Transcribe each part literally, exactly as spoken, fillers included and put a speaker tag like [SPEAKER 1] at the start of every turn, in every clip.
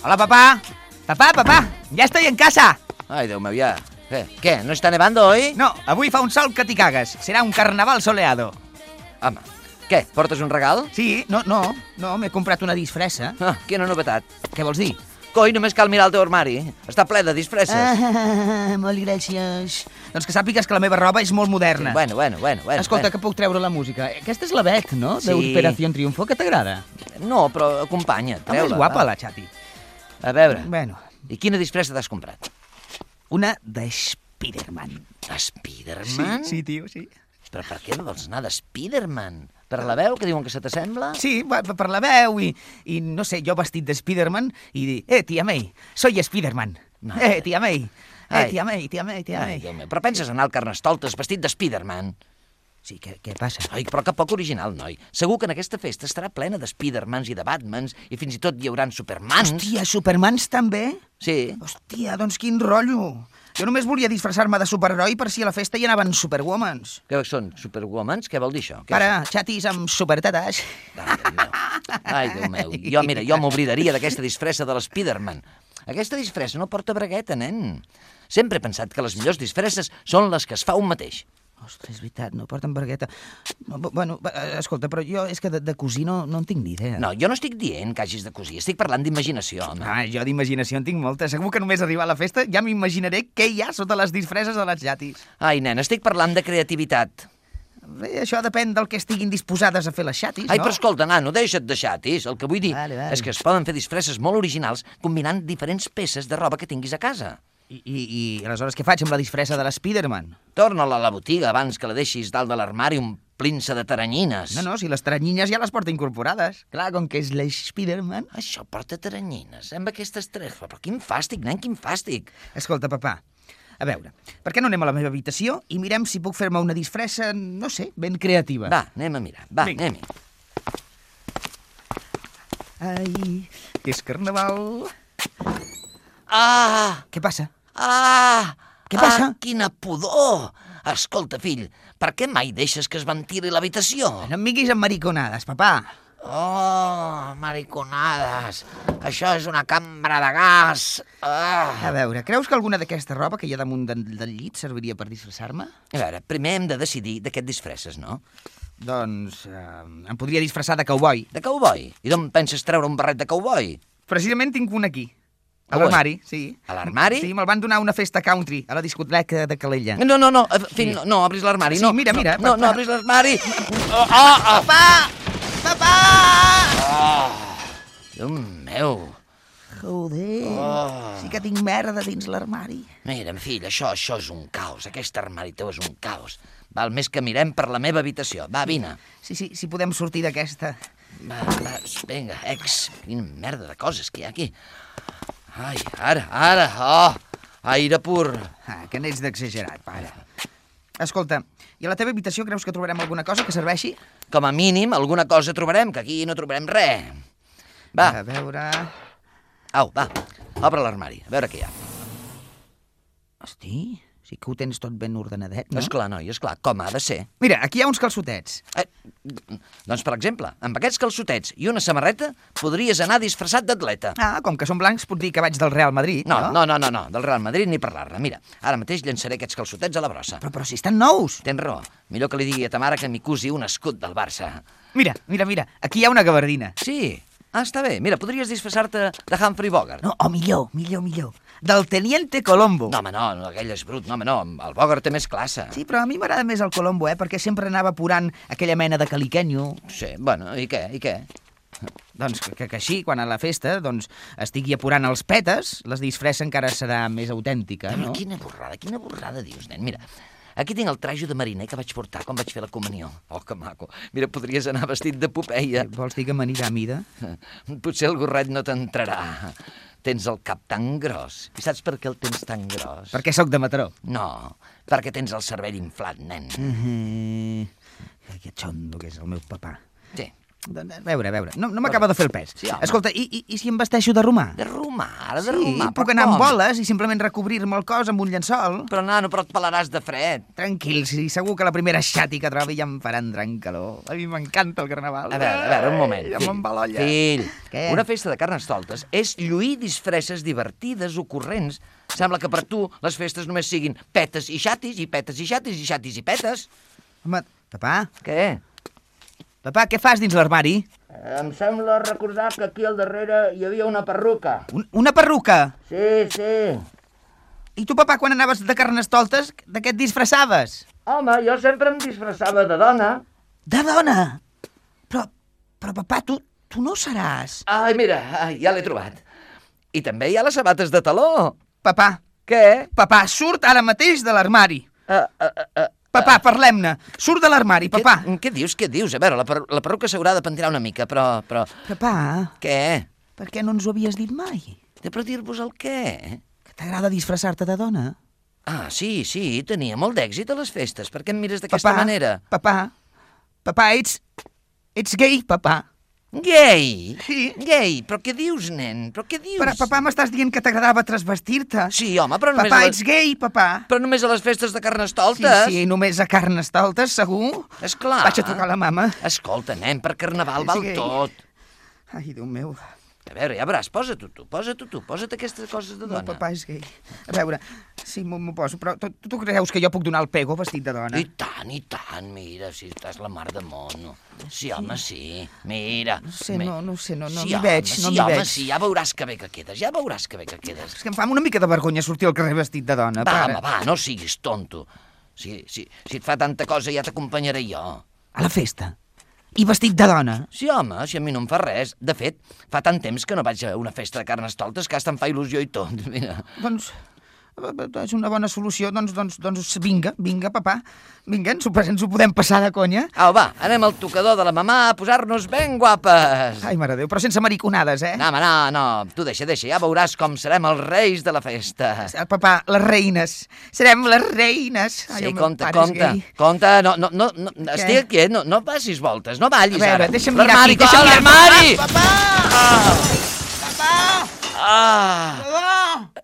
[SPEAKER 1] Hola, papá. Papá, papá, ya estoy en casa.
[SPEAKER 2] Ai, Déu meu, ja. Què? Què? No està nevando, oi?
[SPEAKER 1] No, avui fa un sol que t'hi cagues. Serà un carnaval soleado.
[SPEAKER 2] Home, què? Portes un regal?
[SPEAKER 1] Sí, no, no, no, m'he comprat una disfressa.
[SPEAKER 2] Ah, quina novetat.
[SPEAKER 1] Què vols dir?
[SPEAKER 2] Coi, només cal mirar el teu armari. Està ple de disfresses.
[SPEAKER 1] Ah, molt gràcies. Doncs que sàpigues que la meva roba és molt moderna.
[SPEAKER 2] Bueno, bueno, bueno. bueno
[SPEAKER 1] Escolta,
[SPEAKER 2] bueno.
[SPEAKER 1] que puc treure la música. Aquesta és la Bet, no?
[SPEAKER 2] Sí.
[SPEAKER 1] D'Operación Triunfo, que t'agrada?
[SPEAKER 2] No, però acompanya,
[SPEAKER 1] Home,
[SPEAKER 2] treu-la.
[SPEAKER 1] és guapa,
[SPEAKER 2] va.
[SPEAKER 1] la Xati.
[SPEAKER 2] A veure,
[SPEAKER 1] Bueno,
[SPEAKER 2] i quina disfressa t'has comprat?
[SPEAKER 1] una de Spiderman.
[SPEAKER 2] Spiderman?
[SPEAKER 1] Sí, sí, tio, sí.
[SPEAKER 2] Però per què vols anar de Spiderman? Per la veu, que diuen que se t'assembla?
[SPEAKER 1] Sí, va- per la veu i, i, no sé, jo vestit de Spiderman i dir, eh, tia May, soy Spiderman.
[SPEAKER 2] Madre.
[SPEAKER 1] Eh, tia May, eh,
[SPEAKER 2] Ai.
[SPEAKER 1] tia May, tia May, tia
[SPEAKER 2] Ai,
[SPEAKER 1] May.
[SPEAKER 2] Déu meu, però penses anar al Carnestoltes vestit de Spiderman?
[SPEAKER 1] Sí, què, què passa?
[SPEAKER 2] Ai, però que poc original, noi. Segur que en aquesta festa estarà plena de Spidermans i de Batmans i fins i tot hi hauran Supermans.
[SPEAKER 1] Hòstia, Supermans també?
[SPEAKER 2] Sí.
[SPEAKER 1] Hòstia, doncs quin rotllo. Jo només volia disfressar-me de superheroi per si a la festa hi anaven superwomans.
[SPEAKER 2] Què són, Superwomans? Què vol dir això? Què
[SPEAKER 1] Para, xatis amb supertetes.
[SPEAKER 2] és? Ai, Déu meu. Ai, Déu meu. Jo, mira, jo m'oblidaria d'aquesta disfressa de l'Spiderman. Aquesta disfressa no porta bragueta, nen. Sempre he pensat que les millors disfresses són les que es fa un mateix.
[SPEAKER 1] Ostres, és veritat, no porten bragueta. No, bu- bueno, va, eh, escolta, però jo és que de, de cosir no, no en tinc ni idea.
[SPEAKER 2] No, jo no estic dient que hagis de cosir, estic parlant d'imaginació, home.
[SPEAKER 1] Ah, jo d'imaginació en tinc molta. Segur que només arribar a la festa ja m'imaginaré què hi ha sota les disfresses de les xatis.
[SPEAKER 2] Ai, nen, estic parlant de creativitat.
[SPEAKER 1] Bé, això depèn del que estiguin disposades a fer les xatis,
[SPEAKER 2] Ai,
[SPEAKER 1] no?
[SPEAKER 2] però escolta, nano, deixa't de xatis. El que vull dir
[SPEAKER 1] Vale, vale.
[SPEAKER 2] és que es poden fer disfresses molt originals combinant diferents peces de roba que tinguis a casa.
[SPEAKER 1] I, i, I aleshores què faig amb la disfressa de l'Spiderman?
[SPEAKER 2] Torna-la a la botiga abans que la deixis dalt de l'armari omplint-se de taranyines.
[SPEAKER 1] No, no, si les teranyines ja les porta incorporades. Clar, com que és l'Spiderman...
[SPEAKER 2] Això porta taranyines, amb aquestes tres... Però quin fàstic, nen, quin fàstic.
[SPEAKER 1] Escolta, papà, a veure, per què no anem a la meva habitació i mirem si puc fer-me una disfressa, no sé, ben creativa?
[SPEAKER 2] Va, anem a mirar, va,
[SPEAKER 1] Vinga.
[SPEAKER 2] anem-hi.
[SPEAKER 1] Ai, que és carnaval...
[SPEAKER 2] Ah!
[SPEAKER 1] Què passa?
[SPEAKER 2] Ah!
[SPEAKER 1] Què passa?
[SPEAKER 2] Ah, quina pudor! Escolta, fill, per què mai deixes que es ventili l'habitació?
[SPEAKER 1] No em vinguis amb mariconades, papà.
[SPEAKER 2] Oh, mariconades! Això és una cambra de gas! Ah.
[SPEAKER 1] A veure, creus que alguna d'aquesta roba que hi ha damunt del, del llit serviria per disfressar-me?
[SPEAKER 2] A veure, primer hem de decidir de què et disfresses, no?
[SPEAKER 1] Doncs eh, em podria disfressar de cowboy.
[SPEAKER 2] De cowboy. I d'on penses treure un barret de cowboy?
[SPEAKER 1] Precisament tinc un aquí. A
[SPEAKER 2] On?
[SPEAKER 1] l'armari, sí.
[SPEAKER 2] A l'armari?
[SPEAKER 1] Sí, me'l van donar a una festa country, a la discoteca de Calella.
[SPEAKER 2] No, no, no, eh, fill, no, no obris l'armari,
[SPEAKER 1] Sí,
[SPEAKER 2] no.
[SPEAKER 1] mira, mira,
[SPEAKER 2] No, no,
[SPEAKER 1] papà.
[SPEAKER 2] no obris l'armari. Oh, oh, oh.
[SPEAKER 1] Papà! Papà!
[SPEAKER 2] Oh, Déu meu.
[SPEAKER 1] Joder,
[SPEAKER 2] Oh.
[SPEAKER 1] sí que tinc merda dins l'armari.
[SPEAKER 2] Mira, fill, això, això és un caos. Aquest armari teu és un caos. Val més que mirem per la meva habitació. Va, vine.
[SPEAKER 1] Sí, sí, si podem sortir d'aquesta.
[SPEAKER 2] Va, va, vinga, ex. Quina merda de coses que hi ha aquí. Ai, ara, ara, oh, aire pur.
[SPEAKER 1] Ah, que n'ets d'exagerat, pare. Escolta, i a la teva habitació creus que trobarem alguna cosa que serveixi?
[SPEAKER 2] Com a mínim, alguna cosa trobarem, que aquí no trobarem res. Va,
[SPEAKER 1] A veure...
[SPEAKER 2] au, va, obre l'armari, a veure què hi ha.
[SPEAKER 1] Hosti, sí que ho tens tot ben ordenadet, no?
[SPEAKER 2] Esclar, noi, esclar, com ha de ser.
[SPEAKER 1] Mira, aquí hi ha uns calçotets.
[SPEAKER 2] Eh, doncs, per exemple, amb aquests calçotets i una samarreta podries anar disfressat d'atleta.
[SPEAKER 1] Ah, com que són blancs, pot dir que vaig del Real Madrid,
[SPEAKER 2] No, no, no, no, no, del Real Madrid ni parlar-ne. Mira, ara mateix llançaré aquests calçotets a la brossa.
[SPEAKER 1] Però, però si estan nous.
[SPEAKER 2] Tens raó, millor que li digui a ta mare que m'hi cusi un escut del Barça.
[SPEAKER 1] Mira, mira, mira, aquí hi ha una gabardina.
[SPEAKER 2] Sí, ah, està bé. Mira, podries disfressar-te de Humphrey Bogart.
[SPEAKER 1] No, o millor, millor, millor. Del Teniente Colombo.
[SPEAKER 2] No, home, no, no, aquell és brut. No, home, no, el Bogart té més classe.
[SPEAKER 1] Sí, però a mi m'agrada més el Colombo, eh? Perquè sempre anava apurant aquella mena de caliquenyo.
[SPEAKER 2] Sí, bueno, i què, i què?
[SPEAKER 1] Doncs que, que així, quan a la festa doncs, estigui apurant els petes, la disfressa encara serà més autèntica,
[SPEAKER 2] Però
[SPEAKER 1] no?
[SPEAKER 2] quina borrada, quina borrada dius, nen. Mira, aquí tinc el trajo de mariner que vaig portar quan vaig fer la comunió. Oh, que maco. Mira, podries anar vestit de Popeia.
[SPEAKER 1] Vols dir que m'anirà a mida?
[SPEAKER 2] Potser el gorret no t'entrarà. Tens el cap tan gros. I saps per què el tens tan gros?
[SPEAKER 1] Perquè sóc de Mataró.
[SPEAKER 2] No, perquè tens el cervell inflat, nen.
[SPEAKER 1] Mm -hmm. Que xondo que és el meu papà.
[SPEAKER 2] Sí,
[SPEAKER 1] A veure, a veure, no, no m'acaba de fer el pes.
[SPEAKER 2] Sí, home.
[SPEAKER 1] Escolta, i, i, i si em vesteixo de romà?
[SPEAKER 2] De romà, ara de
[SPEAKER 1] Sí,
[SPEAKER 2] romà,
[SPEAKER 1] puc
[SPEAKER 2] però
[SPEAKER 1] anar amb
[SPEAKER 2] com?
[SPEAKER 1] boles i simplement recobrir-me el cos amb un llençol?
[SPEAKER 2] Però, nano, però et pelaràs de fred.
[SPEAKER 1] Tranquil, sí, segur que la primera xati que trobi ja em faran gran calor. A mi m'encanta el carnaval.
[SPEAKER 2] A veure, a veure, un moment.
[SPEAKER 1] Ja me'n va l'olla.
[SPEAKER 2] Fill,
[SPEAKER 1] Què?
[SPEAKER 2] una festa de Carnestoltes és lluir disfresses divertides, ocorrents. Sembla que per tu les festes només siguin petes i xatis, i petes i xatis, i xatis i petes.
[SPEAKER 1] Home, papà,
[SPEAKER 2] Què?
[SPEAKER 1] papà, què fas dins l'armari?
[SPEAKER 2] Em sembla recordar que aquí al darrere hi havia una perruca.
[SPEAKER 1] Un, una perruca?
[SPEAKER 2] Sí, sí.
[SPEAKER 1] I tu, papà, quan anaves de carnestoltes, de què et disfressaves?
[SPEAKER 2] Home, jo sempre em disfressava de dona.
[SPEAKER 1] De dona? Però, però papà, tu, tu no seràs...
[SPEAKER 2] Ai, mira, ai, ja l'he trobat. I també hi ha les sabates de taló.
[SPEAKER 1] Papà,
[SPEAKER 2] Què?
[SPEAKER 1] papà, surt ara mateix de l'armari.
[SPEAKER 2] Uh, uh, uh, uh.
[SPEAKER 1] Papà, parlem-ne. Surt de l'armari, papà.
[SPEAKER 2] Què, què dius, què dius? A veure, la, per, la perruca s'haurà de pentinar una mica, però, però...
[SPEAKER 1] Papà,
[SPEAKER 2] Què?
[SPEAKER 1] per què no ens ho havies dit mai?
[SPEAKER 2] De per dir-vos el què?
[SPEAKER 1] Que t'agrada disfressar-te de dona?
[SPEAKER 2] Ah, sí, sí, tenia molt d'èxit a les festes. Per què em mires d'aquesta
[SPEAKER 1] Papà,
[SPEAKER 2] manera?
[SPEAKER 1] papà, papà, ets... ets gay, papà.
[SPEAKER 2] Gay?
[SPEAKER 1] Sí.
[SPEAKER 2] Gay? Però què dius, nen? Però què dius?
[SPEAKER 1] Però, papà, m'estàs dient que t'agradava transvestir-te.
[SPEAKER 2] Sí, home, però només,
[SPEAKER 1] Papà,
[SPEAKER 2] a
[SPEAKER 1] ets
[SPEAKER 2] les...
[SPEAKER 1] gay, papà.
[SPEAKER 2] però només a les festes de
[SPEAKER 1] Sí,
[SPEAKER 2] Carnestoltes.
[SPEAKER 1] sí, només a Carnestoltes, segur.
[SPEAKER 2] Esclar.
[SPEAKER 1] Vaig a trucar a la mama.
[SPEAKER 2] Escolta, nen, per Carnaval
[SPEAKER 1] És
[SPEAKER 2] val
[SPEAKER 1] gay.
[SPEAKER 2] tot.
[SPEAKER 1] Ai, Déu meu.
[SPEAKER 2] A veure, ja veuràs, posa-t'ho tu, posa-t'ho tu, posa't aquestes coses de
[SPEAKER 1] No,
[SPEAKER 2] dona.
[SPEAKER 1] papà és gay. A veure, sí, m'ho m'ho poso, però tu, tu creus que jo puc donar el pego vestit de dona?
[SPEAKER 2] I tant, i tant, mira, si estàs la mar de mono. Sí, home, sí, mira.
[SPEAKER 1] No sé,
[SPEAKER 2] Mi-
[SPEAKER 1] no, no sé, no, no
[SPEAKER 2] sí,
[SPEAKER 1] m'hi
[SPEAKER 2] home,
[SPEAKER 1] veig,
[SPEAKER 2] sí,
[SPEAKER 1] no m'hi
[SPEAKER 2] home,
[SPEAKER 1] veig.
[SPEAKER 2] sí, ja veuràs que bé que quedes, ja veuràs que bé que quedes.
[SPEAKER 1] És que em fa una mica de vergonya sortir al carrer vestit de dona,
[SPEAKER 2] Va,
[SPEAKER 1] pare.
[SPEAKER 2] home, va, no siguis tonto. Si, si, si et fa tanta cosa ja t'acompanyaré jo.
[SPEAKER 1] A la festa. I vestit de dona.
[SPEAKER 2] Sí, home, si a mi no em fa res. De fet, fa tant temps que no vaig a una festa de Carnestoltes que hasta em fa il·lusió i tot. Mira.
[SPEAKER 1] Doncs és una bona solució, doncs, doncs, doncs vinga, vinga, papà. Vinga, ens ho, ens ho podem passar de conya.
[SPEAKER 2] Au, va, anem al tocador de la mamà a posar-nos ben guapes.
[SPEAKER 1] Ai, mare de Déu, però sense mariconades, eh?
[SPEAKER 2] No, home, no, no, tu deixa, deixa, ja veuràs com serem els reis de la festa.
[SPEAKER 1] El papà, les reines. Serem les reines. Ai,
[SPEAKER 2] Sí,
[SPEAKER 1] el meu
[SPEAKER 2] compte,
[SPEAKER 1] pare és
[SPEAKER 2] compte,
[SPEAKER 1] gay.
[SPEAKER 2] compte, no, no, no, no estic aquí, no, no passis voltes, no ballis
[SPEAKER 1] A veure,
[SPEAKER 2] ara.
[SPEAKER 1] deixa'm mirar
[SPEAKER 2] L'armari,
[SPEAKER 1] aquí, deixa'm
[SPEAKER 2] ah,
[SPEAKER 1] mirar.
[SPEAKER 2] l'armari!
[SPEAKER 1] Papà! Papà!
[SPEAKER 2] Ah!
[SPEAKER 1] Papà!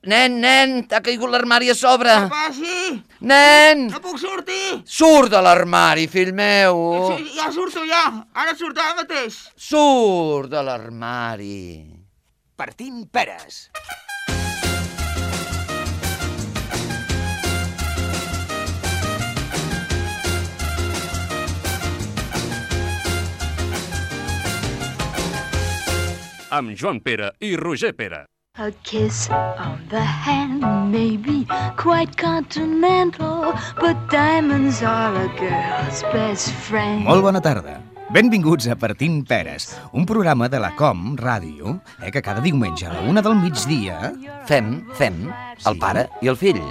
[SPEAKER 2] Nen, nen, t'ha caigut l'armari a sobre.
[SPEAKER 1] Papà, sí!
[SPEAKER 2] Nen,
[SPEAKER 1] No puc sortir!
[SPEAKER 2] surt de l'armari, fill meu.
[SPEAKER 1] Sí, ja surto, ja! Ara surto ara mateix!
[SPEAKER 2] Surt de l'armari.
[SPEAKER 1] Partint peres.
[SPEAKER 3] Amb Joan Pere i Roger Pere.
[SPEAKER 4] A kiss on the hand may be quite continental, but diamonds are a girl's best friend.
[SPEAKER 1] Molt bona tarda. Benvinguts a Partint Peres, un programa de la Com Ràdio, eh, que cada diumenge a la una del migdia...
[SPEAKER 2] Fem, fem, el pare i el fill.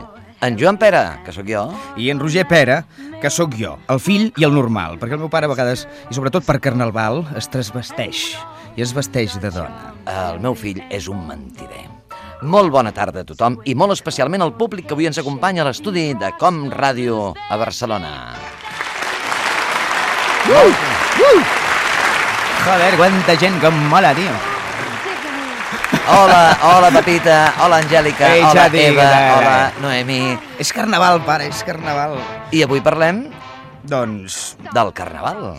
[SPEAKER 2] En Joan Pere, que sóc jo.
[SPEAKER 1] I en Roger Pere, que sóc jo, el fill i el normal, perquè el meu pare a vegades, i sobretot per Carnaval, es transvesteix i es vesteix de dona.
[SPEAKER 2] El meu fill és un mentider. Molt bona tarda a tothom i molt especialment al públic que avui ens acompanya a l'estudi de Com Ràdio a Barcelona.
[SPEAKER 1] Uh! Uh! Joder, quanta gent que em mola, tio.
[SPEAKER 2] Hola, hola Pepita, hola Angèlica,
[SPEAKER 1] Ei,
[SPEAKER 2] hola
[SPEAKER 1] Xavi,
[SPEAKER 2] Eva,
[SPEAKER 1] què tal?
[SPEAKER 2] hola Noemi.
[SPEAKER 1] És Carnaval, pare, és Carnaval.
[SPEAKER 2] I avui parlem
[SPEAKER 1] Doncs...
[SPEAKER 2] del Carnaval.